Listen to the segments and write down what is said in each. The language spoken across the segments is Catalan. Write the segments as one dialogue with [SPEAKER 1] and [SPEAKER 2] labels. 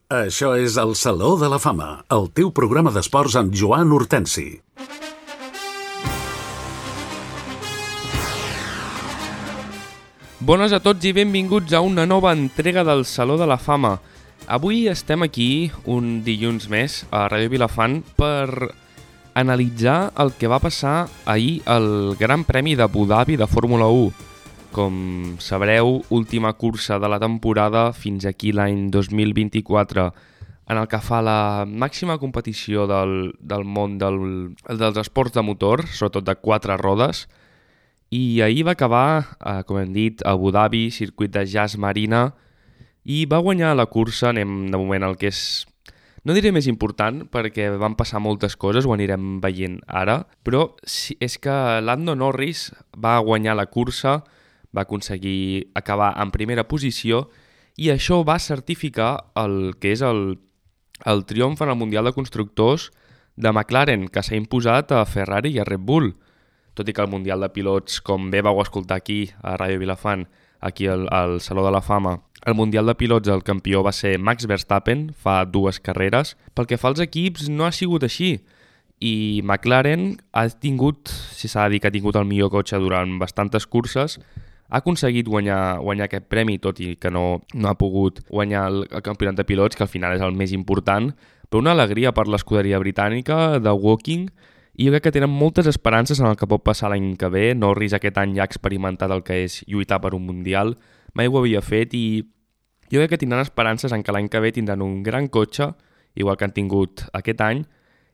[SPEAKER 1] Això és el Saló de la Fama, el teu programa d'esports amb Joan Hortensi.
[SPEAKER 2] Bones a tots i benvinguts a una nova entrega del Saló de la Fama. Avui estem aquí, un dilluns més, a Ràdio Vilafant, per analitzar el que va passar ahir al Gran Premi d'Abu Dhabi de Fórmula 1. Com sabreu, última cursa de la temporada fins aquí l'any 2024, en el que fa la màxima competició del món dels esports de motor, sobretot de 4 rodes, i ahir va acabar, com hem dit, a Abu Dhabi, circuit de Yas Marina, i va guanyar la cursa. Anem de moment al que és, no diré més important, perquè van passar moltes coses, ho anirem veient ara, però és que Lando Norris va guanyar la cursa, va aconseguir acabar en primera posició i això va certificar el que és el triomf en el Mundial de Constructors de McLaren, que s'ha imposat a Ferrari i a Red Bull. Tot i que el Mundial de Pilots, com bé vau escoltar aquí a Ràdio Vilafant, aquí al Saló de la Fama, el Mundial de Pilots el campió va ser Max Verstappen fa 2 carreres. Pel que fa als equips no ha sigut així i McLaren ha tingut, si s'ha de dir que ha tingut el millor cotxe durant bastantes curses, ha aconseguit guanyar aquest premi, tot i que no ha pogut guanyar el campionat de pilots, que al final és el més important, però una alegria per l'escuderia britànica de Woking, i jo crec que tenen moltes esperances en el que pot passar l'any que ve. Norris aquest any ja ha experimentat el que és lluitar per un Mundial, mai ho havia fet, i jo crec que tindran esperances en que l'any que ve tindran un gran cotxe, igual que han tingut aquest any,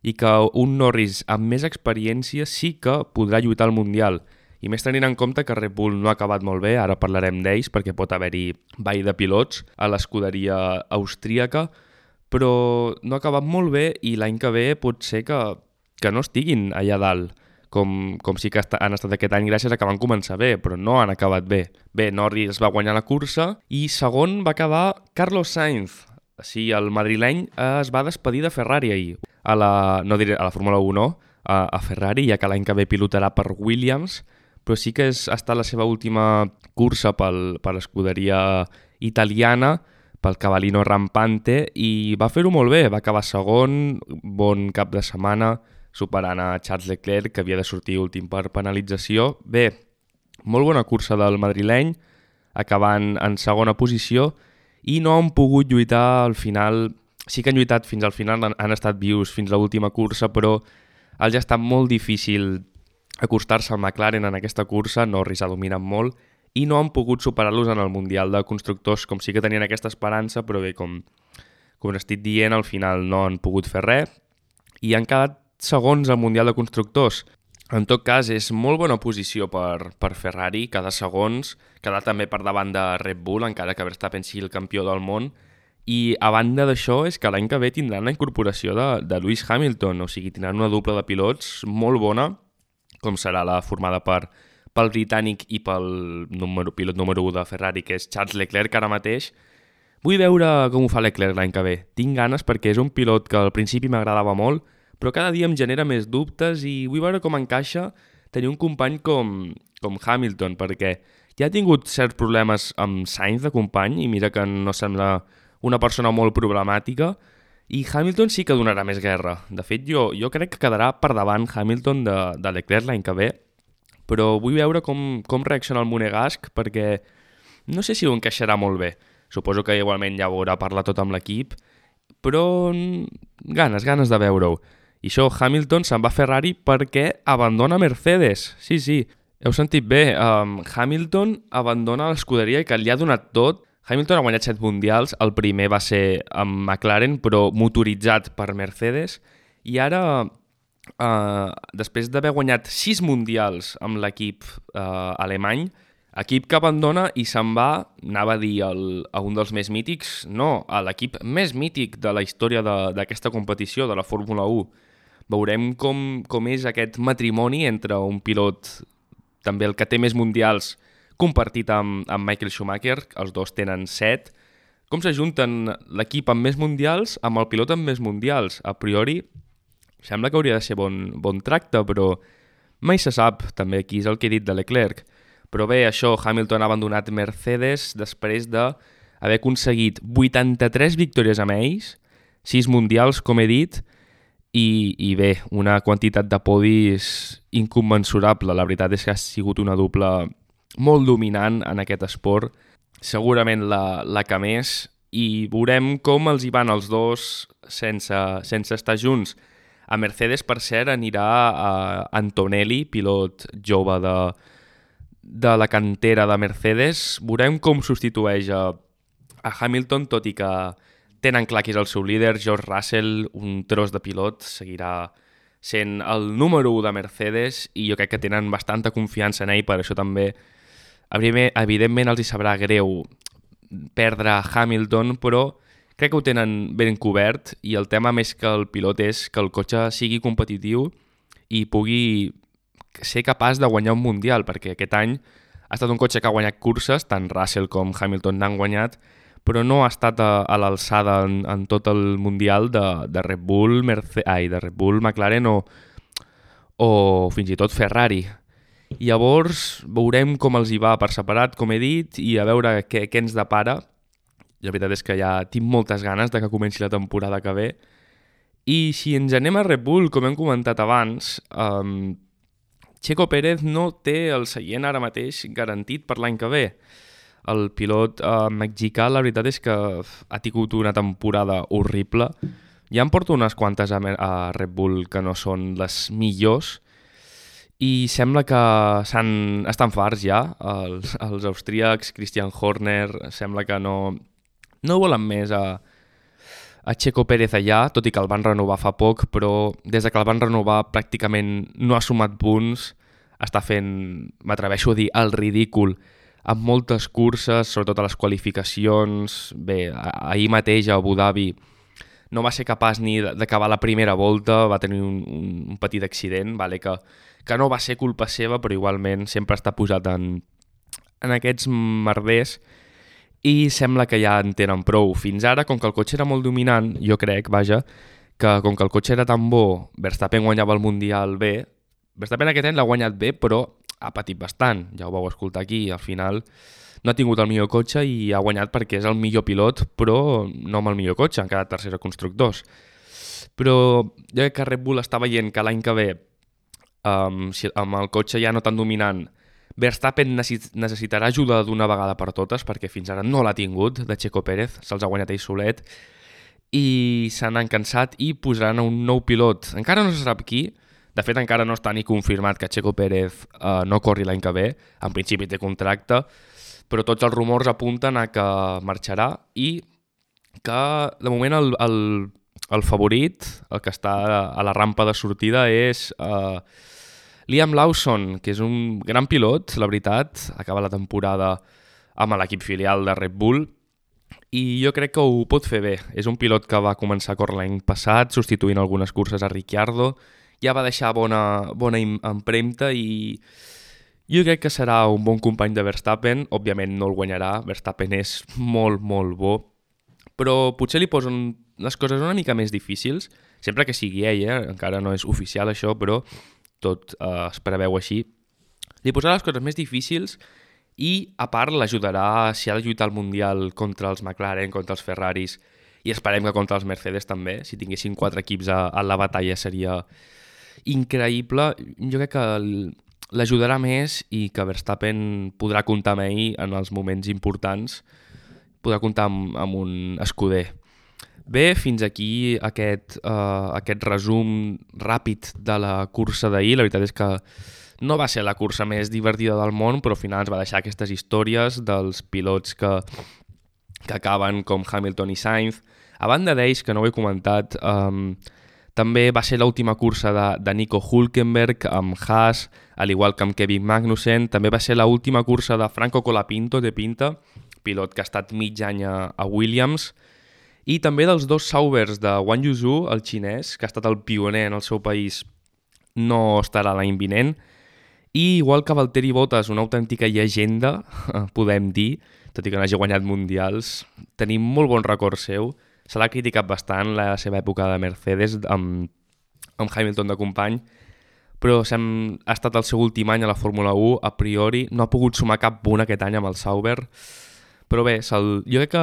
[SPEAKER 2] i que un Norris amb més experiència sí que podrà lluitar al Mundial. I més tenint en compte que Red Bull no ha acabat molt bé, ara parlarem d'ells perquè pot haver-hi ball de pilots a l'escuderia austríaca, però no ha acabat molt bé i l'any que ve pot ser que no estiguin allà dalt, com sí que han estat aquest any gràcies a que van començar bé, però no han acabat bé. Bé, Norris va guanyar la cursa i segon va acabar Carlos Sainz. Sí, el madrileny es va despedir de Ferrari ahir, no diré a la Fórmula 1, no, a Ferrari, ja que l'any que ve pilotarà per Williams, però sí que ha estat la seva última cursa per l'escuderia italiana, pel Cavallino Rampante, i va fer-ho molt bé, va acabar segon, bon cap de setmana, superant a Charles Leclerc, que havia de sortir últim per penalització. Bé, molt bona cursa del madrileny, acabant en segona posició, i no han pogut lluitar al final. Sí que han lluitat fins al final, han estat vius fins a l'última cursa, però els ha estat molt difícil acostar-se al McLaren en aquesta cursa. Norris ha dominat molt i no han pogut superar-los en el Mundial de Constructors, com sí que tenien aquesta esperança, però bé, com estic dient, al final no han pogut fer res i han quedat segons al Mundial de Constructors. En tot cas, és molt bona posició per Ferrari, cada segons, quedar també per davant de Red Bull, encara que Verstappen sigui el campió del món. I a banda d'això és que l'any que ve tindran la incorporació de Lewis Hamilton, o sigui, tindran una dupla de pilots molt bona, com serà la formada pel britànic i pel pilot número 1 de Ferrari, que és Charles Leclerc ara mateix. Vull veure com ho fa Leclerc l'any que ve. Tinc ganes perquè és un pilot que al principi m'agradava molt, però cada dia em genera més dubtes i vull veure com encaixa tenir un company com Hamilton, perquè ja ha tingut certs problemes amb Sainz de company i mira que no sembla una persona molt problemàtica, i Hamilton sí que donarà més guerra. De fet, jo crec que quedarà per davant Hamilton de Leclerc l'any que ve, però vull veure com reacciona el monegasc, perquè no sé si ho encaixarà molt bé. Suposo que igualment ja ho haurà parlat tot amb l'equip, però ganes de veure-ho. I això, Hamilton se'n va a Ferrari perquè abandona Mercedes. Sí, heu sentit bé. Hamilton abandona l'escuderia que li ha donat tot. Hamilton ha guanyat 7 mundials, el primer va ser amb McLaren, però motoritzat per Mercedes, i ara, després d'haver guanyat 6 mundials amb l'equip alemany, equip que abandona i se'n va, anava a dir a un dels més mítics, no, a l'equip més mític de la història d'aquesta competició, de la Fórmula 1. Veurem com és aquest matrimoni entre un pilot, també el que té més mundials, compartit amb Michael Schumacher, els dos tenen 7, com s'ajunten l'equip amb més mundials amb el pilot amb més mundials. A priori, sembla que hauria de ser bon tracte, però mai se sap, també aquí és el que he dit de Leclerc. Però bé, això, Hamilton ha abandonat Mercedes després de haver aconseguit 83 victòries amb ells, 6 mundials, com he dit, i bé, una quantitat de podis incommensurable. La veritat és que ha sigut una dupla molt dominant en aquest esport, segurament la que més, i veurem com els hi van els dos sense estar junts. A Mercedes, per cert, anirà a Antonelli, pilot jove de la cantera de Mercedes. Veurem com substitueix a Hamilton, tot i que tenen clar que és el seu líder. George Russell, un tros de pilot, seguirà sent el número 1 de Mercedes i jo crec que tenen bastanta confiança en ell, per això també evidentment els hi sabrà greu perdre Hamilton, però crec que ho tenen ben cobert i el tema més que el pilot és que el cotxe sigui competitiu i pugui ser capaç de guanyar un mundial, perquè aquest any ha estat un cotxe que ha guanyat curses, tant Russell com Hamilton n'han guanyat, però no ha estat a l'alçada en tot el mundial de Red Bull, de Red Bull, McLaren o fins i tot Ferrari. Llavors veurem com els hi va per separat, com he dit, i a veure què ens depara. La veritat és que ja tinc moltes ganes de que comenci la temporada que ve. I si ens anem a Red Bull, com hem comentat abans, Checo Pérez no té el seient ara mateix garantit per l'any que ve. El pilot mexicà, la veritat és que ha tingut una temporada horrible. Ja em porto unes quantes a Red Bull que no són les millors i sembla que estan farts ja. Els austríacs, Christian Horner, sembla que no volen més a Checo Pérez allà, tot i que el van renovar fa poc, però des que el van renovar pràcticament no ha sumat punts, està fent, m'atreveixo a dir, el ridícul amb moltes curses, sobretot a les qualificacions. Bé, ahir mateix a Abu Dhabi no va ser capaç ni d'acabar la primera volta, va tenir un petit accident, vale, que no va ser culpa seva, però igualment sempre està posat en aquests merders, i sembla que ja en tenen prou. Fins ara, com que el cotxe era molt dominant, jo crec, que com que el cotxe era tan bo, Verstappen guanyava el Mundial bé. Verstappen aquest any l'ha guanyat bé, però ha patit bastant. Ja ho vau escoltar aquí. Al final no ha tingut el millor cotxe i ha guanyat perquè és el millor pilot, però no amb el millor cotxe, han quedat tercera constructors. Però jo crec que Red Bull està veient que l'any que ve, amb el cotxe ja no tan dominant, Verstappen necessitarà ajuda d'una vegada per totes, perquè fins ara no l'ha tingut, de Checo Pérez, se'ls ha guanyat ell solet, i se n'han cansat i posaran un nou pilot. Encara no se sap qui, de fet encara no està ni confirmat que Checo Pérez no corri l'any que ve, en principi té contracte, però tots els rumors apunten a que marxarà i que de moment el favorit, el que està a la rampa de sortida, és Liam Lawson, que és un gran pilot, la veritat, acaba la temporada amb l'equip filial de Red Bull i jo crec que ho pot fer bé. És un pilot que va començar a córrer l'any passat, substituint algunes curses a Ricciardo, ja va deixar bona empremta i jo crec que serà un bon company de Verstappen. Òbviament no el guanyarà, Verstappen és molt, molt bo, però potser li posen les coses una mica més difícils, sempre que sigui ell, encara no és oficial això, però tot es preveu així. Li posarà les coses més difícils i, a part, l'ajudarà si ha de lluitar al Mundial contra els McLaren, contra els Ferraris, i esperem que contra els Mercedes també. Si tinguessin 4 equips a la batalla seria increïble. Jo crec que l'ajudarà més i que Verstappen podrà comptar amb ell en els moments importants, podrà comptar amb un escuder. Bé, fins aquí aquest resum ràpid de la cursa d'ahir. La veritat és que no va ser la cursa més divertida del món, però al final ens va deixar aquestes històries dels pilots que acaben com Hamilton i Sainz. A banda d'ells, que no ho he comentat, també va ser l'última cursa de Nico Hülkenberg amb Haas, al igual que amb Kevin Magnussen. També va ser l'última cursa de Franco Colapinto, de Pinta, pilot que ha estat mig any a Williams, i també dels dos Saubers de Wang Yuzhu, el xinès, que ha estat el pioner en el seu país, no estarà l'any vinent. I igual que Valtteri Bottas, una autèntica llegenda, podem dir, tot i que no hagi guanyat mundials, tenim molt bon record seu. Se l'ha criticat bastant la seva època de Mercedes amb Hamilton de company, però ha estat el seu últim any a la Fórmula 1, a priori no ha pogut sumar cap punt aquest any amb el Sauber. Però bé, jo crec que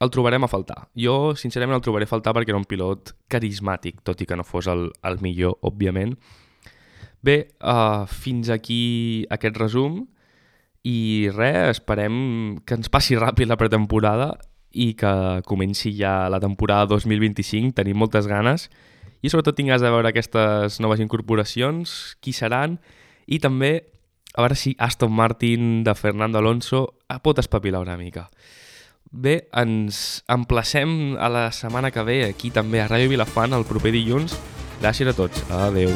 [SPEAKER 2] el trobarem a faltar. Jo, sincerament, el trobaré a faltar perquè era un pilot carismàtic, tot i que no fos el millor, òbviament. Bé, fins aquí aquest resum i res, esperem que ens passi ràpid la pretemporada i que comenci ja la temporada 2025, tenim moltes ganes i sobretot tinc ganes de veure aquestes noves incorporacions, qui seran, i també a veure si Aston Martin de Fernando Alonso pot espavilar una mica. Bé, ens emplacem a la setmana que ve aquí també a Ràdio Vilafant el proper dilluns. Gràcies a tots. Adeu.